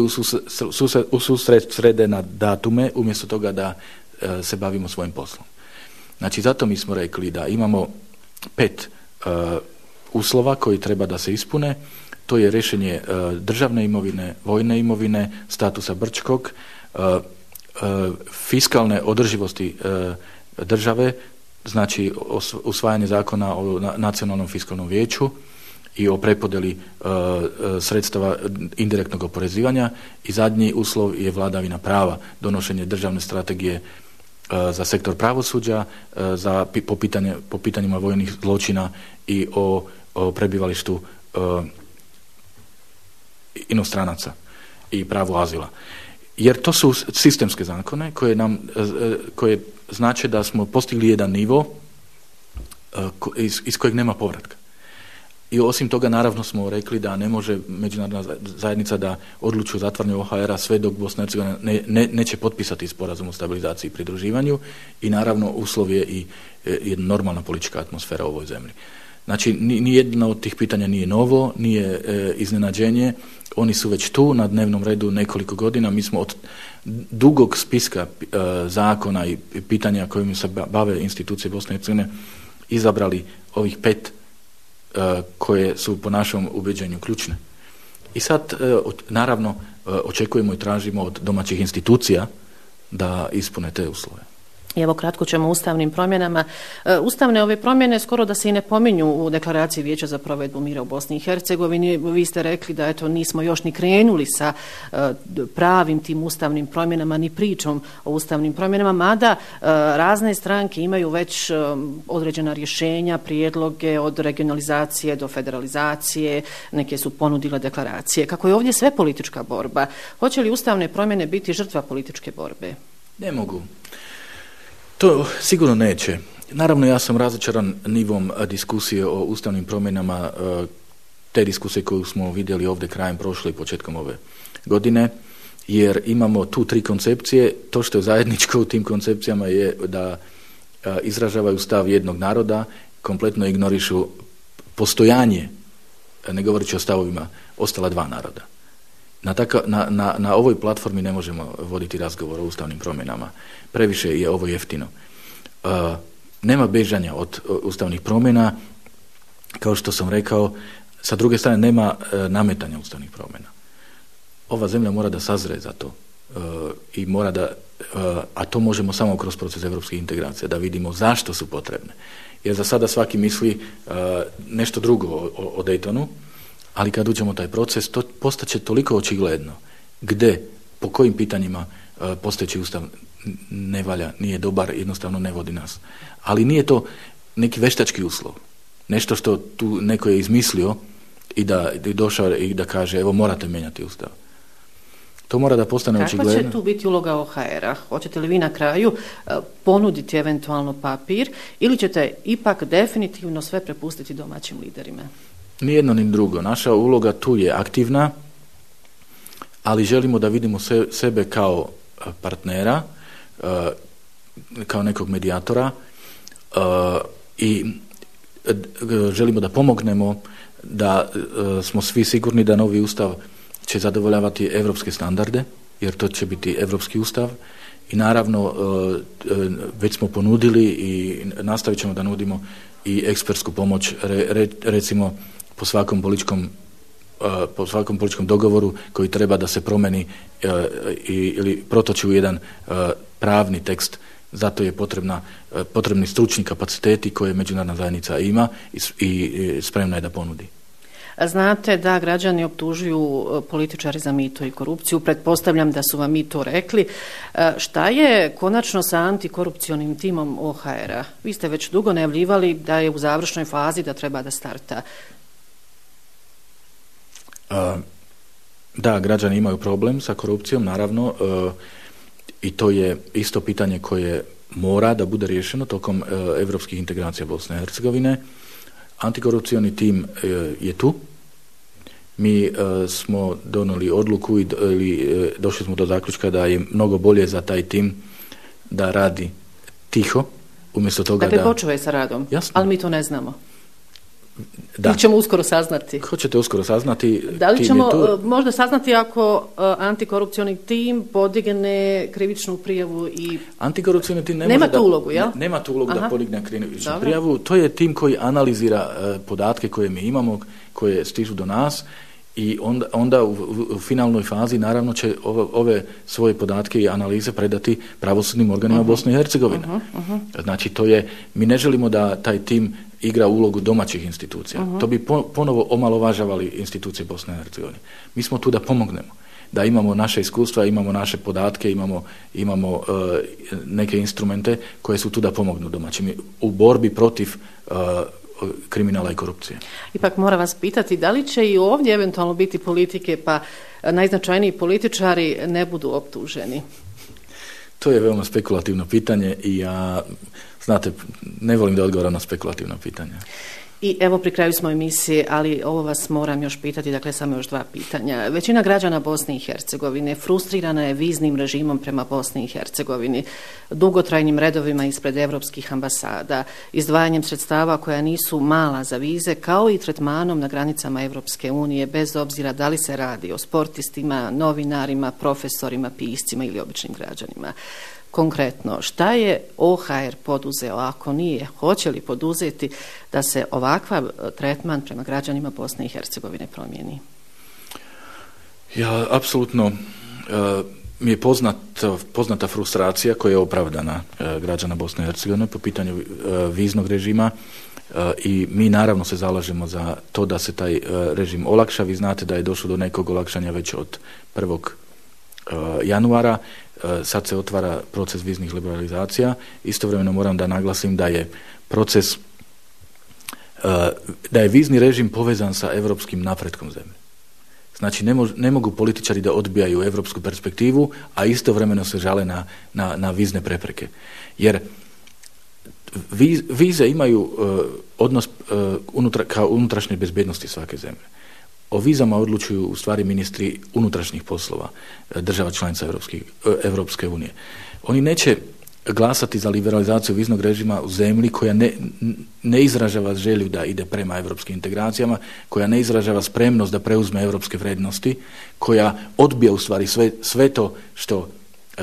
Speaker 7: u susret srede na datume umjesto toga da e, se bavimo svojim poslom. Znači, zato mi smo rekli da imamo pet e, uslova koji treba da se ispune. To je rješenje e, državne imovine, vojne imovine, statusa Brčkog, e, e, fiskalne održivosti e, države, znači usvajanje zakona o na, nacionalnom fiskalnom vijeću i o prepodeli uh, sredstava indirektnog oporezivanja i zadnji uslov je vladavina prava, donošenje državne strategije uh, za sektor pravosuđa, uh, za, po, pitanje, po pitanjima vojnih zločina i o, o prebivalištu uh, inostranaca i pravu azila. Jer to su sistemske zakone koje nam uh, koje znače da smo postigli jedan nivo uh, ko, iz, iz kojeg nema povratka. I osim toga, naravno, smo rekli da ne može međunarodna zajednica da odluči o zatvaranju O H R-a sve dok Bosna i Hercegovina ne, ne, neće potpisati sporazum o stabilizaciji i pridruživanju i naravno uslov je i je normalna politička atmosfera u ovoj zemlji. Znači, ni, ni jedno od tih pitanja nije novo, nije e, iznenađenje, oni su već tu na dnevnom redu nekoliko godina, mi smo od dugog spiska e, zakona i pitanja kojim se bave institucije Bosne i Hercegovine izabrali ovih pet koje su po našem ubeđenju ključne. I sad, naravno, očekujemo i tražimo od domaćih institucija da ispune te uslove.
Speaker 6: I evo kratko ćemo o ustavnim promjenama. Ustavne ove promjene skoro da se i ne pominju u deklaraciji Vijeća za provedbu mira u Bosni i Hercegovini. Vi ste rekli da eto nismo još ni krenuli sa pravim tim ustavnim promjenama, ni pričom o ustavnim promjenama, mada razne stranke imaju već određena rješenja, prijedloge od regionalizacije do federalizacije, neke su ponudile deklaracije. Kako je ovdje sve politička borba, hoće li ustavne promjene biti žrtva političke borbe?
Speaker 7: Ne mogu. To sigurno neće. Naravno, ja sam razočaran nivom diskusije o ustavnim promjenama, te diskusije koju smo vidjeli ovdje krajem prošle i početkom ove godine, jer imamo tu tri koncepcije. To što je zajedničko u tim koncepcijama je da izražavaju stav jednog naroda, kompletno ignorišu postojanje, ne govoreći o stavovima, ostala dva naroda. Na, taka, na, na, na ovoj platformi ne možemo voditi razgovor o ustavnim promjenama. Previše je ovo jeftino. Uh, nema bežanja od uh, ustavnih promjena. Kao što sam rekao, sa druge strane nema uh, nametanja ustavnih promjena. Ova zemlja mora da sazre za to. Uh, i mora da, uh, a to možemo samo kroz proces evropskih integracija, da vidimo zašto su potrebne. Jer za sada svaki misli uh, nešto drugo o, o, o Daytonu, ali kad uđemo u taj proces, to postaće toliko očigledno gde, po kojim pitanjima uh, postojeći ustav ne valja, nije dobar, jednostavno ne vodi nas. Ali nije to neki veštački uslov. Nešto što tu neko je izmislio i da je došao i da kaže evo morate mijenjati ustav. To mora da postane očigledno.
Speaker 6: Kakva će tu biti uloga O H R-a? Hoćete li vi na kraju ponuditi eventualno papir ili ćete ipak definitivno sve prepustiti domaćim liderima?
Speaker 7: Ni jedno ni drugo. Naša uloga tu je aktivna, ali želimo da vidimo se, sebe kao partnera, kao nekog medijatora i želimo da pomognemo da smo svi sigurni da novi ustav će zadovoljavati evropske standarde, jer to će biti evropski ustav i naravno već smo ponudili i nastavit ćemo da nudimo i ekspertsku pomoć, re, recimo po svakom političkom po svakom političkom dogovoru koji treba da se promeni ili protoči u jedan pravni tekst. Zato je potrebna, potrebni stručni kapaciteti koje međunarodna zajednica ima i, i spremna je da ponudi.
Speaker 6: Znate da građani optužuju političari za mito i korupciju. Pretpostavljam da su vam i to rekli. Šta je konačno sa antikorupcionim timom O H R-a? Vi ste već dugo najavljivali da je u završnoj fazi, da treba da starta.
Speaker 7: Da, građani imaju problem sa korupcijom, naravno, i to je isto pitanje koje mora da bude riješeno tokom evropskih integracija Bosne i Hercegovine. Antikorupcioni tim je tu. Mi smo donijeli odluku i došli smo do zaključka da je mnogo bolje za taj tim da radi tiho, umjesto toga
Speaker 6: dakle,
Speaker 7: da...
Speaker 6: Dakle, počeo je sa radom,
Speaker 7: jasno,
Speaker 6: ali mi to ne znamo.
Speaker 7: Da.
Speaker 6: Ili ćemo uskoro saznati?
Speaker 7: Hoćete uskoro saznati?
Speaker 6: Da li ćemo možda saznati ako uh, antikorupcioni tim podigne krivičnu prijavu i...
Speaker 7: Antikorupcioni tim ne
Speaker 6: nema
Speaker 7: može
Speaker 6: tu
Speaker 7: da,
Speaker 6: ulogu, jel?
Speaker 7: Ne, nema tu ulogu Aha. da podigne krivičnu
Speaker 6: Dobro.
Speaker 7: prijavu. To je tim koji analizira uh, podatke koje mi imamo, koje stižu do nas i onda, onda u, u finalnoj fazi naravno će ove, ove svoje podatke i analize predati pravosudnim organima uh-huh. Bosne i Hercegovine. Uh-huh. Uh-huh. Znači to je, mi ne želimo da taj tim igra ulogu domaćih institucija. Uh-huh. To bi po, ponovo omalovažavali institucije Bosne i Hercegovine. Mi smo tu da pomognemo, da imamo naše iskustva, imamo naše podatke, imamo, imamo uh, neke instrumente koje su tu da pomognu domaćim u borbi protiv uh, kriminala i korupcije.
Speaker 6: Ipak moram vas pitati, da li će i ovdje eventualno biti politike pa najznačajniji političari ne budu optuženi?
Speaker 7: To je veoma spekulativno pitanje i ja, znate, ne volim da odgovaram na spekulativno pitanje.
Speaker 6: I evo pri kraju smo emisije, ali ovo vas moram još pitati, dakle samo još dva pitanja. Većina građana Bosne i Hercegovine frustrirana je viznim režimom prema Bosni i Hercegovini, dugotrajnim redovima ispred evropskih ambasada, izdvajanjem sredstava koja nisu mala za vize, kao i tretmanom na granicama Evropske unije, bez obzira da li se radi o sportistima, novinarima, profesorima, piscima ili običnim građanima. Konkretno, šta je O H R poduzeo, ako nije, hoće li poduzeti da se ovakav tretman prema građanima Bosne i Hercegovine promijeni?
Speaker 7: Ja, apsolutno, uh, mi je poznat, poznata frustracija koja je opravdana uh, građana Bosne i Hercegovine po pitanju uh, viznog režima uh, i mi naravno se zalažemo za to da se taj uh, režim olakša. Vi znate da je došlo do nekog olakšanja već od prvog januara, sad se otvara proces viznih liberalizacija. Istovremeno moram da naglasim da je proces, da je vizni režim povezan sa evropskim napretkom zemlje. Znači ne, mož, ne mogu političari da odbijaju evropsku perspektivu, a istovremeno se žale na, na, na vizne prepreke. Jer viz, vize imaju uh, odnos uh, unutra, kao unutrašnje bezbednosti svake zemlje. O vizama odlučuju u stvari ministri unutrašnjih poslova država članica Evropske unije. Oni neće glasati za liberalizaciju viznog režima u zemlji koja ne, ne izražava želju da ide prema evropskim integracijama, koja ne izražava spremnost da preuzme evropske vrednosti, koja odbija u stvari sve, sve to što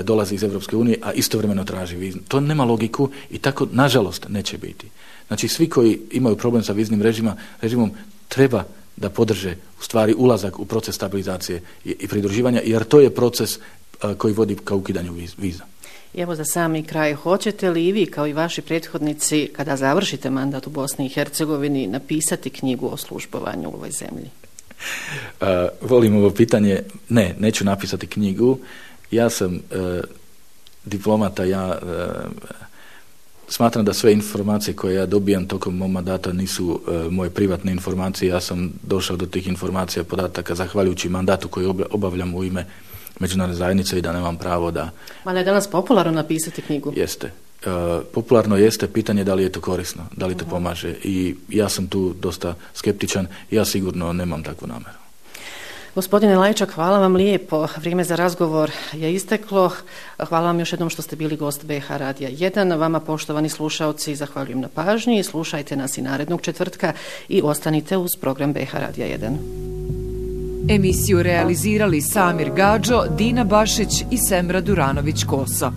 Speaker 7: dolazi iz Evropske unije, a istovremeno traži viznu. To nema logiku i tako, nažalost, neće biti. Znači, svi koji imaju problem sa viznim režima, režimom treba da podrže u stvari ulazak u proces stabilizacije i, i pridruživanja, jer to je proces a, koji vodi ka ukidanju viza.
Speaker 6: Evo za sami kraj, hoćete li i vi kao i vaši prethodnici kada završite mandat u Bosni i Hercegovini napisati knjigu o službovanju u ovoj zemlji?
Speaker 7: A, volim ovo pitanje. Ne, neću napisati knjigu. Ja sam a, diplomata, ja a, smatram da sve informacije koje ja dobijam tokom mog mandata nisu uh, moje privatne informacije. Ja sam došao do tih informacija, podataka zahvaljujući mandatu koji obavljam u ime međunarodne zajednice i da nemam pravo da...
Speaker 6: Ma ne je danas popularno napisati knjigu?
Speaker 7: Jeste. Uh, popularno jeste, pitanje da li je to korisno, da li to uh-huh. pomaže i ja sam tu dosta skeptičan, ja sigurno nemam takvu nameru.
Speaker 6: Gospodine Lajčak, hvala vam lijepo. Vrijeme za razgovor je isteklo. Hvala vam još jednom što ste bili gost B H Radija jedan. Vama, poštovani slušaoci, zahvaljujem na pažnji. Slušajte nas i narednog četvrtka i ostanite uz program B H Radija jedan.
Speaker 2: Emisiju realizirali Samir Gadžo, Dina Bašić i Semra Duranović-Koso.